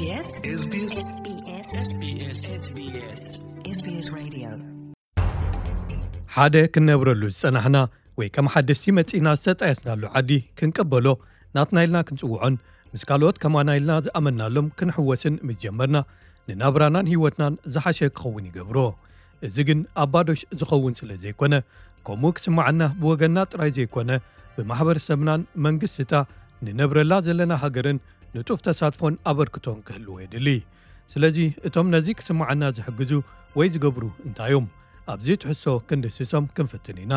SBS SBS SBS SBS Radio. ሓደ ክንነብረሉ ዝጸናሕና ወይ ከም ሓደስቲ መጺእና ዝተጣየስናሉ ዓዲ ክንቀበሎ ናትና ኢልና ክንጽውዖን ምስ ካልኦት ከማና ኢልና ዝኣመናሎም ክንሕወስን ምስ ጀመርና ንናብራናን ህይወትናን ዝሓሸ ክኸውን ይገብሮ። እዚ ግን ኣብ ባዶሽ ዝኸውን ስለ ዘይኮነ ከምኡ ክስማዓና ብወገንና ጥራይ ዘይኮነ ብማሕበረሰብናን መንግስትታ ንነብረላ ዘለና ሃገርን ንጡፍ ተሳትፎን ኣበርክቶን ክህልዎ የድሊ። ስለዚ እቶም ነዚ ክስማዓና ዝሕግዙ ወይ ዝገብሩ እንታይ እዮም? ኣብዚ ትሕሶ ክንድስሶም ክንፍትን ኢና።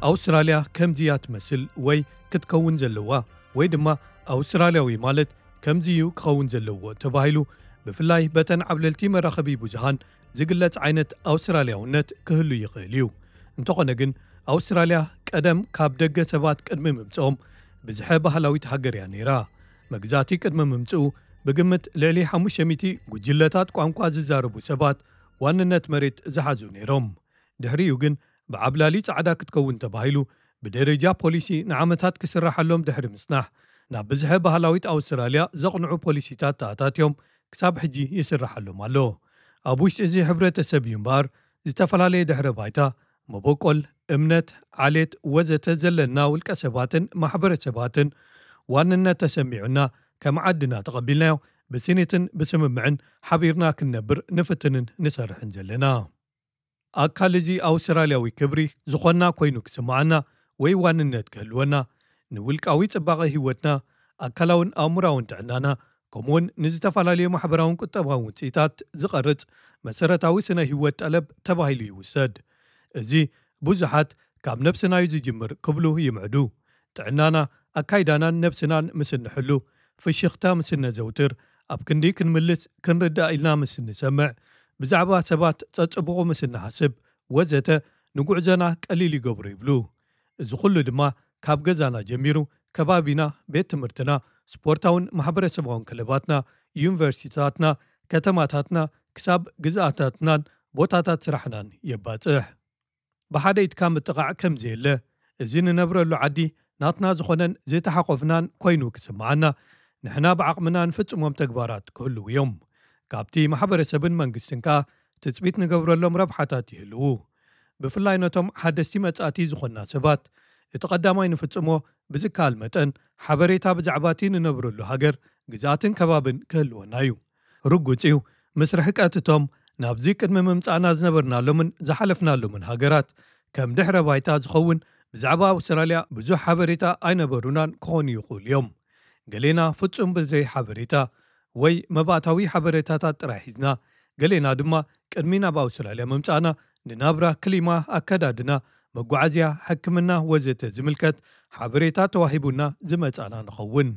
ኣውስትራልያ ከምዚ እያ ትመስል ወይ ክትከውን ዘለዋ ወይ ድማ ኣውስትራልያዊ ማለት ከምዚ እዩ ክኸውን ዘለዎ ተባሂሉ ብፍላይ በተን ዓብለልቲ መራኸቢ ብዙሃን ዝግለጽ ዓይነት ኣውስትራልያውነት ክህሉ ይኽእል እዩ። እንተኾነ ግን ኣውስትራልያ ቀደም ካብ ደገ ሰባት ቅድሚ ምምጽኦም ብዝሐ ባህላዊት ሃገር እያ ነይራ። መግዛእቲ ቅድሚ ምምጽኡ ብግምት ልዕሊ ሓሙሽተ ሚእቲ ጉጅለታት ቋንቋ ዝዛረቡ ሰባት ዋንነት መሬት ዝሓዙ ነይሮም። ድሕሪኡ ግን ብዓብላሊ ጻዕዳ ክትከውን ተባሂሉ ብደረጃ ፖሊሲ ንዓመታት ክስራሓሎም ድሕሪ ምጽናሕ ናብ ብዝሐ ባህላዊት ኣውስትራልያ ዘቕንዑ ፖሊሲታት ተኣታትዮም ክሳብ ሕጂ ይስራሓሎም ኣሎ። ኣብ ውሽጢ እዚ ሕብረተሰብ እዩ እምበኣር ዝተፈላለየ ድሕረ ባይታ፣ መበቆል፣ እምነት፣ ዓሌት ወዘተ ዘለና ውልቀ ሰባትን ማሕበረሰባትን ዋንነት ተሰሚዑና ከም ዓድና ተቐቢልናዮ ብስኒትን ብስምምዕን ሓቢርና ክንነብር ንፍትንን ንሰርሕን ዘለና። ኣካል እዚ ኣውስትራልያዊ ክብሪ ዝኾንና ኮይኑ ክስምዓና ወይ ዋንነት ክህልወና ንውልቃዊ ጽባቐ ህይወትና ኣካላውን ኣእምራውን ጥዕናና ከምኡውን ንዝተፈላለዩ ማሕበራውን ቁጠባውን ውፅኢታት ዝቐርጽ መሰረታዊ ስነ ህይወት ጠለብ ተባሂሉ ይውሰድ። እዚ ብዙሓት ካብ ነብስና እዩ ዝጅምር ክብሉ ይምዕዱ። ጥዕናና ኣካይዳናን ነብስናን ምስ እንሕሉ ፍሽኽታ ምስ እነዘውትር ኣብ ክንዲ ክንምልስ ክንርዳእ ኢልና ምስ እንሰምዕ ብዛዕባ ሰባት ጸጽቡቑ ምስ እንሓስብ ወዘተ ንጉዕዞና ቀሊል ይገብሮ ይብሉ። እዚ ኩሉ ድማ ካብ ገዛና ጀሚሩ ከባቢና፣ ቤት ትምህርትና፣ ስፖርታውን ማሕበረሰባውን ክለባትና፣ ዩኒቨርሲቲታትና፣ ከተማታትና ክሳብ ግዝኣታትናን ቦታታት ስራሕናን የባጽሕ። ብሓደ ኢድካ ምጥቓዕ ከም ዘየለ፣ እዚ ንነብረሉ ዓዲ ናትና ዝኾነን ዝተሓቆፍናን ኮይኑ ክስምዓና፣ ንሕና ብዓቕምና ንፍጽሞም ተግባራት ክህልዉ እዮም። ካብቲ ማሕበረሰብን መንግስትን ከኣ ትጽቢት ንገብረሎም ረብሓታት ይህልዉ። ብፍላይ ነቶም ሓደስቲ መጻእቲ ዝኾንና ሰባት፣ እቲ ቀዳማይ ንፍጽሞ ብዝከኣል መጠን ሓበሬታ ብዛዕባ እቲ ንነብረሉ ሃገር፣ ግዝኣትን ከባብን ክህልወና እዩ። ርጉጽ እዩ፣ ምስ ርሕቀት እቶም ናብዚ ቅድሚ ምምጻእና ዝነበርናሎምን ዝሓለፍናሎምን ሃገራት ከም ድሕረ ባይታ ዝኸውን ብዛዕባ ኣውስትራልያ ብዙሕ ሓበሬታ ኣይነበሩናን ክኾኑ ይኽእሉ እዮም። ገሌና ፍጹም ብዘይ ሓበሬታ ወይ መባእታዊ ሓበሬታታት ጥራይ ሒዝና፣ ገሌና ድማ ቅድሚ ናብ ኣውስትራልያ ምምጻእና ንናብራ፣ ክሊማ፣ ኣከዳድና፣ መጓዓዝያ፣ ሕክምና ወዘተ ዝምልከት ሓበሬታ ተዋሂቡና ዝመጻና ንኸውን።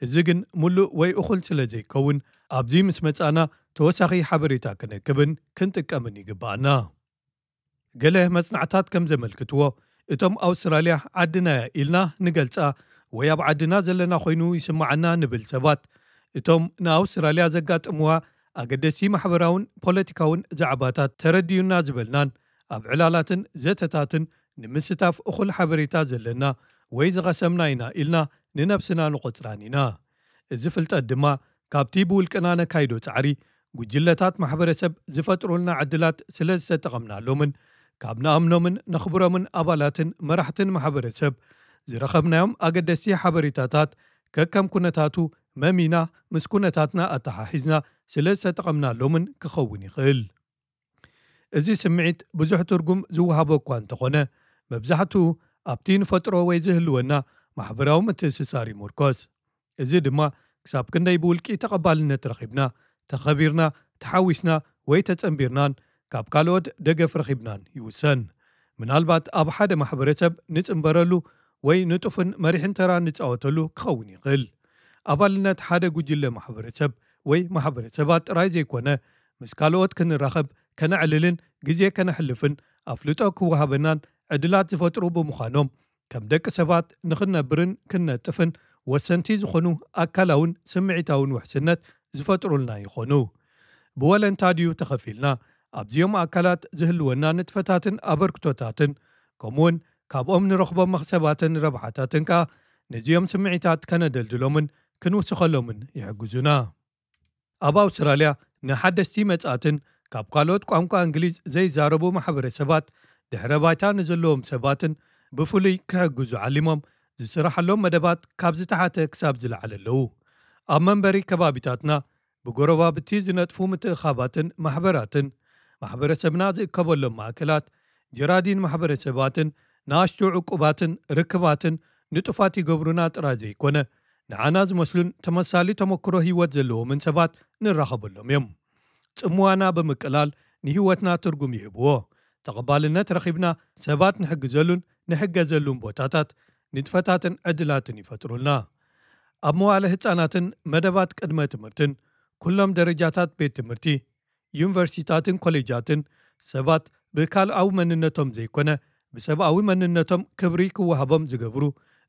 እዚ ግን ምሉእ ወይ እኹል ስለ ዘይከውን ኣብዚ ምስ መጻና ተወሳኺ ሓበሬታ ክንእክብን ክንጥቀምን ይግባኣና። ገለ መጽናዕታት ከም ዘመልክትዎ እቶም ኣውስትራልያ ዓድናያ ኢልና ንገልጻ ወይ ኣብ ዓድና ዘለና ኮይኑ ይስምዓና ንብል ሰባት እቶም ንኣውስትራልያ ዘጋጥምዋ ኣገደስቲ ማሕበራውን ፖለቲካውን ዛዕባታት ተረድዩና ዝበልናን ኣብ ዕላላትን ዘተታትን ንምስታፍ እኹል ሓበሬታ ዘለና ወይ ዝቐሰምና ኢና ኢልና ንነብስና ንቖጽራን ኢና። እዚ ፍልጠት ድማ ካብቲ ብውልቅና ነካይዶ ጻዕሪ ጉጅለታት ማሕበረሰብ ዝፈጥሩልና ዕድላት ስለ ዝተጠቐምናሎምን ካብ ንኣምኖምን ነኽብሮምን ኣባላትን መራሕትን ማሕበረሰብ ዝረኸብናዮም ኣገደስቲ ሓበሬታታት ከከም ኩነታቱ መሚና ምስ ኩነታትና ኣተሓሒዝና ስለ ዝተጠቐምናሎምን ክኸውን ይኽእል። እዚ ስምዒት ብዙሕ ትርጉም ዝወሃቦ እኳ እንተኾነ፣ መብዛሕትኡ ኣብቲ ንፈጥሮ ወይ ዝህልወና ማሕበራዊ ምትእስሳር ይምርኮስ። እዚ ድማ ክሳብ ክንደይ ብውልቂ ተቐባልነት ረኺብና፣ ተኸቢርና፣ ተሓዊስና ወይ ተጸንቢርናን ካብ ካልኦት ደገፍ ረኺብናን ይውሰን። ምናልባት ኣብ ሓደ ማሕበረሰብ ንጽንበረሉ ወይ ንጡፍን መሪሕን ተራ ንጻወተሉ ክኸውን ይኽእል። ኣባልነት ሓደ ጉጅለ ማሕበረሰብ ወይ ማሕበረሰባት ጥራይ ዘይኮነ፣ ምስ ካልኦት ክንራኸብ፣ ከነዕልልን ግዜ ከነሕልፍን ኣፍልጦ ክወሃበናን ዕድላት ዝፈጥሩ ብምዃኖም፣ ከም ደቂ ሰባት ንኽንነብርን ክንነጥፍን ወሰንቲ ዝኾኑ ኣካላውን ስምዒታውን ውሕስነት ዝፈጥሩልና ይኾኑ። ብወለንታ ድዩ ተኸፊልና ኣብዚኦም ኣካላት ዝህልወና ንጥፈታትን ኣበርክቶታትን፣ ከምኡውን ካብኦም ንረኽቦም መኽሰባትን ረብሓታትን ከኣ ነዚኦም ስምዒታት ከነደልድሎምን ክንውስኸሎምን ይሕግዙና። ኣብ ኣውስትራልያ ንሓደስቲ መጻእትን ካብ ካልኦት ቋንቋ እንግሊዝ ዘይዛረቡ ማሕበረሰባት ድሕረ ባይታ ንዘለዎም ሰባትን ብፍሉይ ክሕግዙ ዓሊሞም ዝስራሓሎም መደባት ካብ ዝተሓተ ክሳብ ዝለዓለ ኣለዉ። ኣብ መንበሪ ከባቢታትና ብጎረባብቲ ዝነጥፉ ምትእኻባትን ማሕበራትን ማሕበረሰብና ዝእከበሎም ማእከላት ጀራዲን ማሕበረሰባትን ንኣሽቱ ዕቁባትን ርክባትን ንጡፋት ይገብሩና ጥራይ ዘይኮነ ንዓና ዝመስሉን ተመሳሊ ተመክሮ ህይወት ዘለዎምን ሰባት ንራኸበሎም እዮም። ጽምዋና ብምቅላል ንህይወትና ትርጉም ይህብዎ። ተቐባልነት ረኺብና ሰባት ንሕግዘሉን ንሕገዘሉን ቦታታት ንጥፈታትን ዕድላትን ይፈጥሩልና። ኣብ መዋለ ህጻናትን መደባት ቅድመ ትምህርትን ኩሎም ደረጃታት ቤት ትምህርቲ ዩኒቨርሲታትን ኮሌጃትን ሰባት ብካልኣዊ መንነቶም ዘይኮነ ብሰብኣዊ መንነቶም ክብሪ ክወሃቦም ዝገብሩ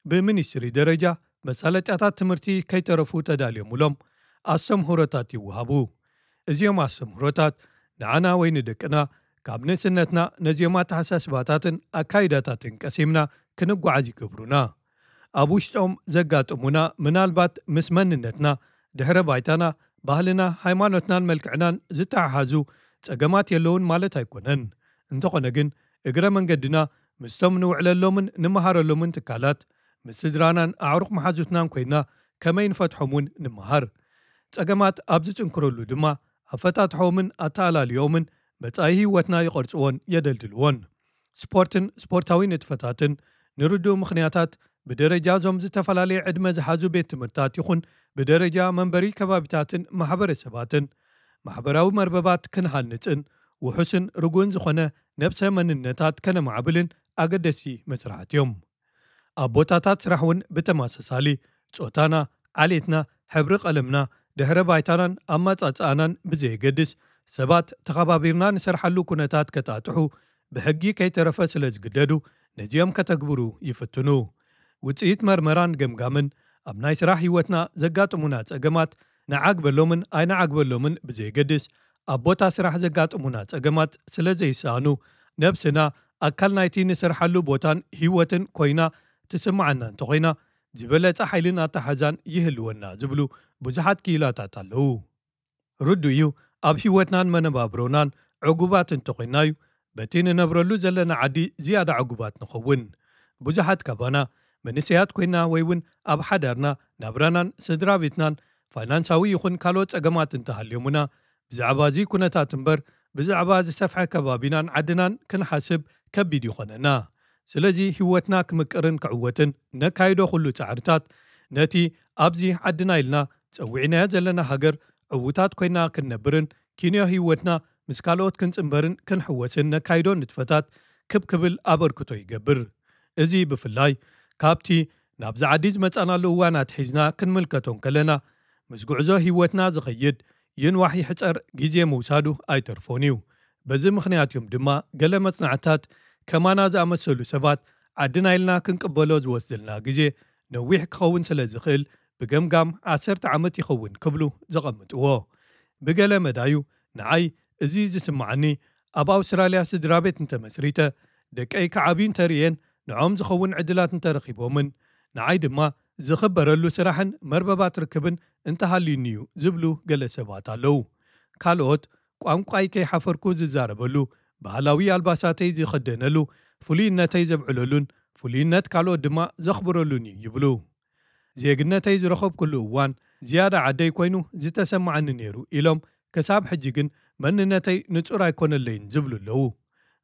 ብሚኒስትሪ ደረጃ መሳለጥያታት ትምህርቲ ከይተረፉ ተዳልዮምሎም ኣስተምህሮታት ይወሃቡ። እዚኦም ኣስተምህሮታት ንዓና ወይ ንደቅና ካብ ንእስነትና ነዚኦም ኣተሓሳስባታትን ኣካይዳታትን ቀሲምና ክንጓዓዝ ይገብሩና። ኣብ ውሽጦም ዘጋጥሙና ምናልባት ምስ መንነትና ድሕረ ባይታና ባህልና ሃይማኖትናን መልክዕናን ዝተሓሓዙ ጸገማት የለውን ማለት ኣይኮነን። እንተኾነ ግን እግረ መንገድና ምስቶም ንውዕለሎምን ንመሃረሎምን ትካላት ምስ ስድራናን ኣዕሩቕ መሓዙትናን ኮይና ከመይ ንፈትሖም እውን ንምሃር። ጸገማት ኣብ ዝጽንክረሉ ድማ ኣፈታትሖምን ኣተኣላልዮምን መጻኢ ህይወትና ይቐርጽዎን የደልድልዎን። ስፖርትን ስፖርታዊ ንጥፈታትን ንርዱእ ምኽንያታት ብደረጃ እዞም ዝተፈላለየ ዕድመ ዝሓዙ ቤት ትምህርታት ይኹን ብደረጃ መንበሪ ከባቢታትን ማሕበረሰባትን ማሕበራዊ መርበባት ክንሃንጽን ውሑስን ርጉእን ዝኾነ ነብሰ መንነታት ከነማዕብልን ኣገደሲ መስራሕት እዮም። ኣብ ቦታታት ስራሕ እውን ብተመሳሳሊ ጾታና፣ ዓሌትና፣ ሕብሪ ቀለምና፣ ድሕረ ባይታናን ኣማጻጽኣናን ብዘየገድስ ሰባት ተኸባቢርና ንሰርሓሉ ኩነታት ከጣጥሑ ብሕጊ ከይተረፈ ስለ ዝግደዱ ነዚኦም ከተግብሩ ይፍትኑ። ውጽኢት መርመራን ገምጋምን ኣብ ናይ ስራሕ ህይወትና ዘጋጥሙና ጸገማት ንዓግበሎምን ኣይንዓግበሎምን ብዘየገድስ ኣብ ቦታ ስራሕ ዘጋጥሙና ጸገማት ስለ ዘይሰኣኑ ነብስና ኣካል ናይቲ ንሰርሓሉ ቦታን ህይወትን ኮይና ትስምዓና እንተኾይና ዝበለጸ ሓይልን ኣተሓዛን ይህልወና ዝብሉ ብዙሓት ክኢላታት ኣለዉ። ርዱ እዩ ኣብ ህይወትናን መነባብሮናን ዕጉባት እንተኾይና እዩ በቲ ንነብረሉ ዘለና ዓዲ ዝያዳ ዕጉባት ንኸውን። ብዙሓት ካባና መንእሰያት ኮይና ወይ እውን ኣብ ሓዳርና ናብራናን ስድራ ቤትናን ፋይናንሳዊ ይኹን ካልኦት ጸገማት እንተሃልዮሙና ብዛዕባ እዚ ኩነታት እምበር ብዛዕባ ዝሰፍሐ ከባቢናን ዓድናን ክንሓስብ ከቢድ ይኾነና። ስለዚ ህይወትና ክምቅርን ክዕወትን ነካይዶ ኩሉ ጻዕርታት ነቲ ኣብዚ ዓድና ኢልና ጸዊዕናዮ ዘለና ሃገር ዕዉታት ኮይና ክንነብርን ኪንዮ ህይወትና ምስ ካልኦት ክንጽንበርን ክንሕወስን ነካይዶ ንጥፈታት ክብ ክብል ኣበርክቶ ይገብር። እዚ ብፍላይ ካብቲ ናብዚ ዓዲ ዝመጻናሉ እዋን ኣትሒዝና ክንምልከቶ እንከለና ምስ ጉዕዞ ህይወትና ዝኸይድ ይንዋሕ ይሕጸር ግዜ ምውሳዱ ኣይተርፎን እዩ። በዚ ምኽንያት እዮም ድማ ገለ መጽናዕትታት ከማና ዝኣመሰሉ ሰባት ዓድና ኢልና ክንቅበሎ ዝወስደልና ግዜ ነዊሕ ክኸውን ስለ ዝኽእል ብገምጋም ዓሰርተ ዓመት ይኸውን ክብሉ ዘቐምጥዎ። ብገለ መዳዩ ንዓይ እዚ ዝስምዓኒ ኣብ ኣውስትራልያ ስድራ ቤት እንተመስሪተ ደቀይ ክዓብዩ እንተርእየን ንዖም ዝኸውን ዕድላት እንተረኺቦምን ንዓይ ድማ ዝኽበረሉ ስራሕን መርበባት ርክብን እንተሃልዩኒ እዩ ዝብሉ ገለ ሰባት ኣለዉ። ካልኦት ቋንቋይ ከይሓፈርኩ ዝዛረበሉ፣ ባህላዊ ኣልባሳተይ ዝኸደነሉ፣ ፍሉይነተይ ዘብዕለሉን ፍሉይነት ካልኦት ድማ ዘኽብረሉን እዩ ይብሉ። ዜግነተይ ዝረኸብኩሉ እዋን ዝያዳ ዓደይ ኮይኑ ዝተሰማዓኒ ነይሩ ኢሎም ክሳብ ሕጂ ግን መንነተይ ንጹር ኣይኮነለይን ዝብሉ ኣለዉ።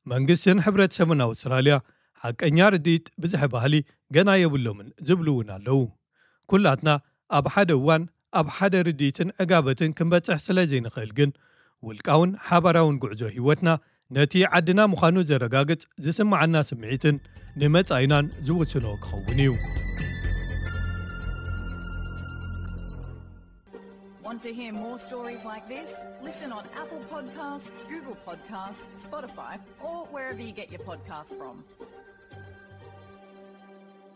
መንግስትን ሕብረተሰብን ኣውስትራልያ ሓቀኛ ርድኢት ብዝሒ ባህሊ ገና የብሎምን ዝብሉ እውን ኣለዉ። ኩላትና ኣብ ሓደ እዋን ኣብ ሓደ ርድኢትን ዕጋበትን ክንበጽሕ ስለ ዘይንኽእል ግን ውልቃውን ሓባራውን ጉዕዞ ህይወትና ነቲ ዓድና ምዃኑ ዘረጋግጽ ዝስምዓና ስምዒትን ንመጻኢናን ዝውስኖ ክኸውን እዩ። Want to hear more stories like this? Listen on Apple Podcasts, Google Podcasts, Spotify, or wherever you get your podcasts from.